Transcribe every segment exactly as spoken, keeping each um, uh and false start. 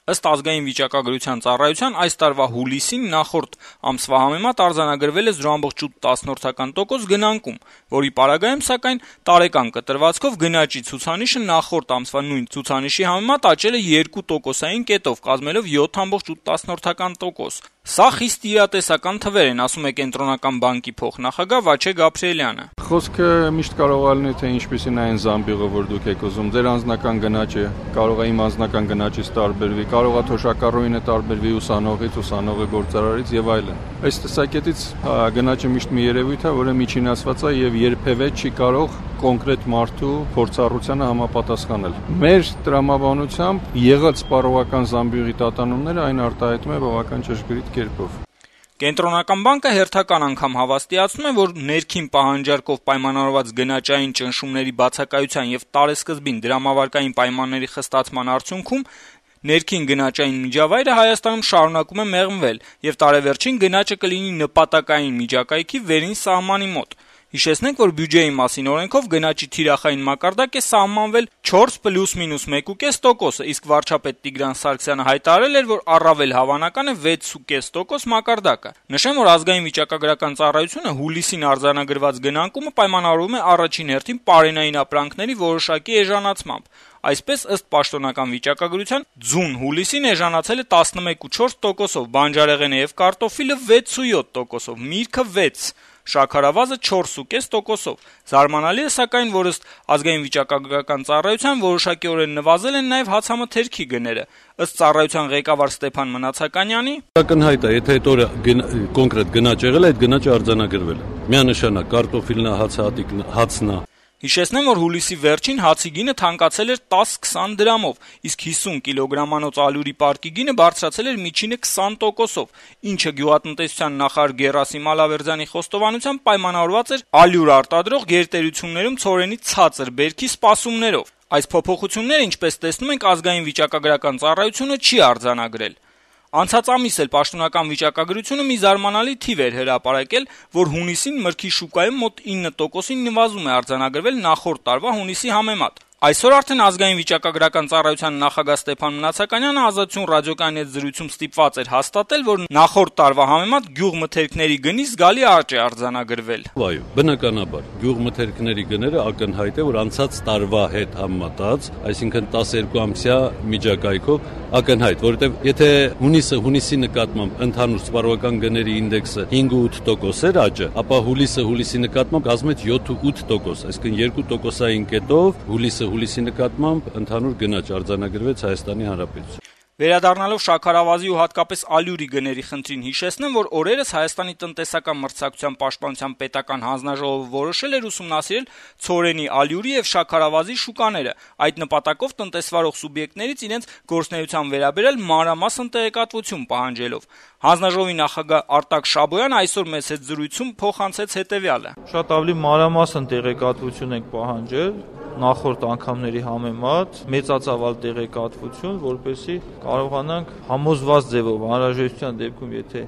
Ըստ ազգային վիճակագրության ծառայության այս տարվա հուլիսին նախորդ ամսվա համեմատ արձանագրվել է զրո բացարձակ ութ տոկոս գնանկում, որի պարագայում սակայն տարեկան կտրվածքով գնաճի ցուցանիշը նախորդ ամսվա նույն ցուցանիշի համեմատ աճել է երկու տոկոսային կետով, կազմելով յոթ բացարձակ ութ տոկոս։ Սա խիստ իրատեսական թվեր են, ասում է Կենտրոնական բանկի փոխնախագահ Վաչե Գաբրիելյանը։ Խոսքը միշտ կարող է լինել, թե ինչպիսին այն զամբյուղը, որ դուք եք ուզում, ձեր անձնական գնաճը կարող է իմ անձնական գնաճից տարբերվի, կարող է թոշակառուինը տարբերվի ուսանողից, ուսանողի գործարարից եւ այլն։ Այս տեսակետից գնաճը միշտ մի երևույթ է, որը միջինասված է եւ երբեւե չի կարող կոնկրետ մարդու փորձառությանը համապատասխանել։ Մեր տրամաբանությամբ եղած սպառողական զամբյուղի տատանումները այն արտահայտում է բավական ճշգրիտ կերպով։ Կենտրոնական բանկը հերթական անգամ հավաստիացնում է, որ ներքին պահանջարկով պայմանավորված գնաճային ճնշումների բացակայության եւ տարեսկզբին դրամավարկային պայմանների խստացման արդյունքում ներքին գնաճային միջավայրը Հայաստանում շարունակում է մեղմվել եւ տարեվերջին գնաճը կլինի նպատակային միջակայքի վերին սահմանի մոտ։ Հիշեցնենք, որ բյուջեի մասին օրենքով գնաճի թիրախային մակարդակ է սահմանվել չորս պլյուս մինուս մեկ կես տոկոսը, իսկ վարչապետ Տիգրան Սարգսյանը հայտարարել էր, որ առավել հավանական է վեց կես տոկոս մակարդակը։ Նշեմ, որ ազգային վիճակագրական ծառայությունը հուլիսին արձանագրված գնանկումը պայմանավորվում է առաջին հերթին պարենային ապրանքների որոշակի էժանացմամբ։ Այսպես, ըստ պաշտոնական վիճակագրության, ձուն հուլիսին էժանացել է տասնմեկ բացարձակ չորս տոկոսով, բանջարեղենը եւ կարտոֆիլը վեց բացարձակ յոթ տոկոսով, միրգը վեց, շաքարավազը չորս բացարձակ պինցետ տոկոսով։ Զարմանալի է, սակայն, որ ըստ ազգային վիճակագրական ծառայության որոշակիորեն նվազել են նաեւ հացամթերքի գները։ Ըստ ծառայության ղեկավար Ստեփան Մնացականյանի, ակնհայտ է, եթե այդ օրը կոնկրետ գնաճ եղել է, այդ գնաճը արձանագրվել է։ Միանշանակ կարտոֆիլն, հացահատիկն, հացն է։ Հիշեցնեմ, որ հուլիսի վերջին հացի գինը թանկացել էր տաս-քսան դրամով, իսկ հիսուն կիլոգրամանոց ալյուրի պարկի գինը բարձրացել էր միջինը քսան տոկոսով, ինչը գյուղատնտեսության նախարար Գերասիմ Ալավերդյանի խոստովանությամբ պայմանավորված էր ալյուր արտադրող գերտերություններում ցորենի ցածր բերքի սպասումներով։ Այս փոփոխությունները, ինչպես տեսնում ենք, ազգային վիճակագրական ծառայությունը չի արձանագրել։ Անցած ամիս էլ պաշտոնական վիճակագրությունը մի զարմանալի թիվ էր հրապարակել, որ հունիսին մրգի շուկայում մոտ ինը տոկոսին նվազում է արձանագրվել նախորդ տարվա հունիսի համեմատ։ Այսօր արդեն ազգային վիճակագրական ծառայության նախագահ Ստեփան Մնացականյանը Ազատություն ռադիոկայանի հետ զրույցում ստիպված էր հաստատել, որ նախորդ տարվա համեմատ գյուղմթերքների գնի զգալի աճ է արձանագրվել։ Այո, բնականաբար, գյուղմթերքների գները ակնհայտ է, որ անցած տարվա հետ համեմատած, այսինքն տասներկու ամսյա միջակայքով ակնհայտ, որովհետև եթե հունիսը հունիսի նկատմամբ ընդհանուր սպառողական գների ինդեքսը հինգ բացարձակ ութ տոկոս էր աճը, ապա հուլիսը հուլիսի նկատմամբ կազմում է յոթ բացարձակ ութ տոկոս, այսինքն երկու տոկոսային կետով հուլիսը հուլիսի նկատմամբ ընդհանուր գնաճ արձանագրվեց Հայաստանի Հանրապետությունում։ Վերադառնալով շաքարավազի ու հատկապես ալյուրի գների խնդրին, հիշեցնեմ, որ օրերս Հայաստանի տնտեսական մրցակցության պաշտպանության պետական հանձնաժողովը որոշել էր ուսումնասիրել ցորենի, ալյուրի եւ շաքարավազի շուկաները, այդ նպատակով տնտեսվարող սուբյեկտներից իրենց գործունեության վերաբերյալ մանրամասն տեղեկատվություն պահանջելով։ Հանձնաժողովի նախագահ Արտակ Շաբոյանը այսօր մեծ հետ զրույցում փոխանցեց հետեւյալը. Շատ ավելի մանրամասն տեղեկատվություն ենք պահանջել նախորդ անգամների համեմատ, մեծածավալ տեղեկատվություն, որպեսզի կարողանանք համոզված ձևով, անհրաժեշտության դեպքում, եթե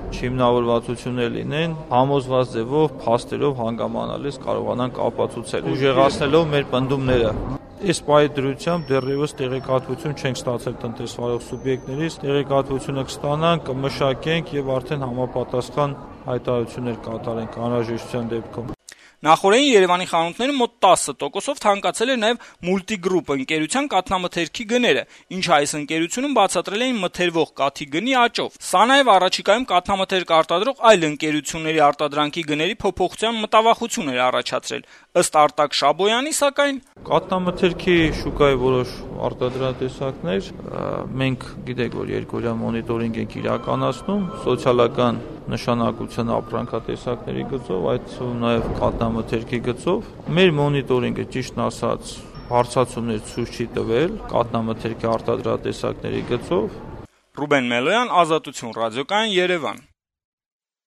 չհիմնավորվածություններ լինեն, համոզված ձևով, փաստերով հանգամանալից կարողանանք ապացուցել, ուժեղացնելով մեր պնդումները։ Այս պահի դրությամբ դեռևս տեղեկատվություն չենք ստացել տնտեսվարող սուբյեկտներից, տեղեկատվությունը կստանանք, կմշակենք եւ արդեն համապատասխան հայտարարություններ կատարենք անհրաժեշտության դեպքում։ Նախորդին Երևանի խանութներում մոտ տասը տոկոսով թանկացել էր նաև Multigroup ընկերության կաթնամթերքի գները, ինչը այս ընկերությունում բացատրել էին մթերվող կաթի գնի աճով։ Սա նաև առաջիկայում կաթնամթերք արտադրող այլ ընկերությունների արտադրանքի գների փոփոխության մտավախություն էր առաջացրել։ Ըստ Արտակ Շաբոյանի, սակայն կաթնամթերքի շուկայի որոշ արտադրատեսակներ մենք գիտեք, որ երկօրյա մոնիտորինգ ենք իրականացնում սոցիալական նշանակության ապրանքատեսակների գծով, այդ նաև կաթնամթերքի գծով։ Մեր մոնիտորինգը, ճիշտն ասած, հարցացումներ ցույց չի տվել կաթնամթերքի արտադրատեսակների գծով։ Ռուբեն Մելոյան, Ազատություն ռադիոկայան, Երևան։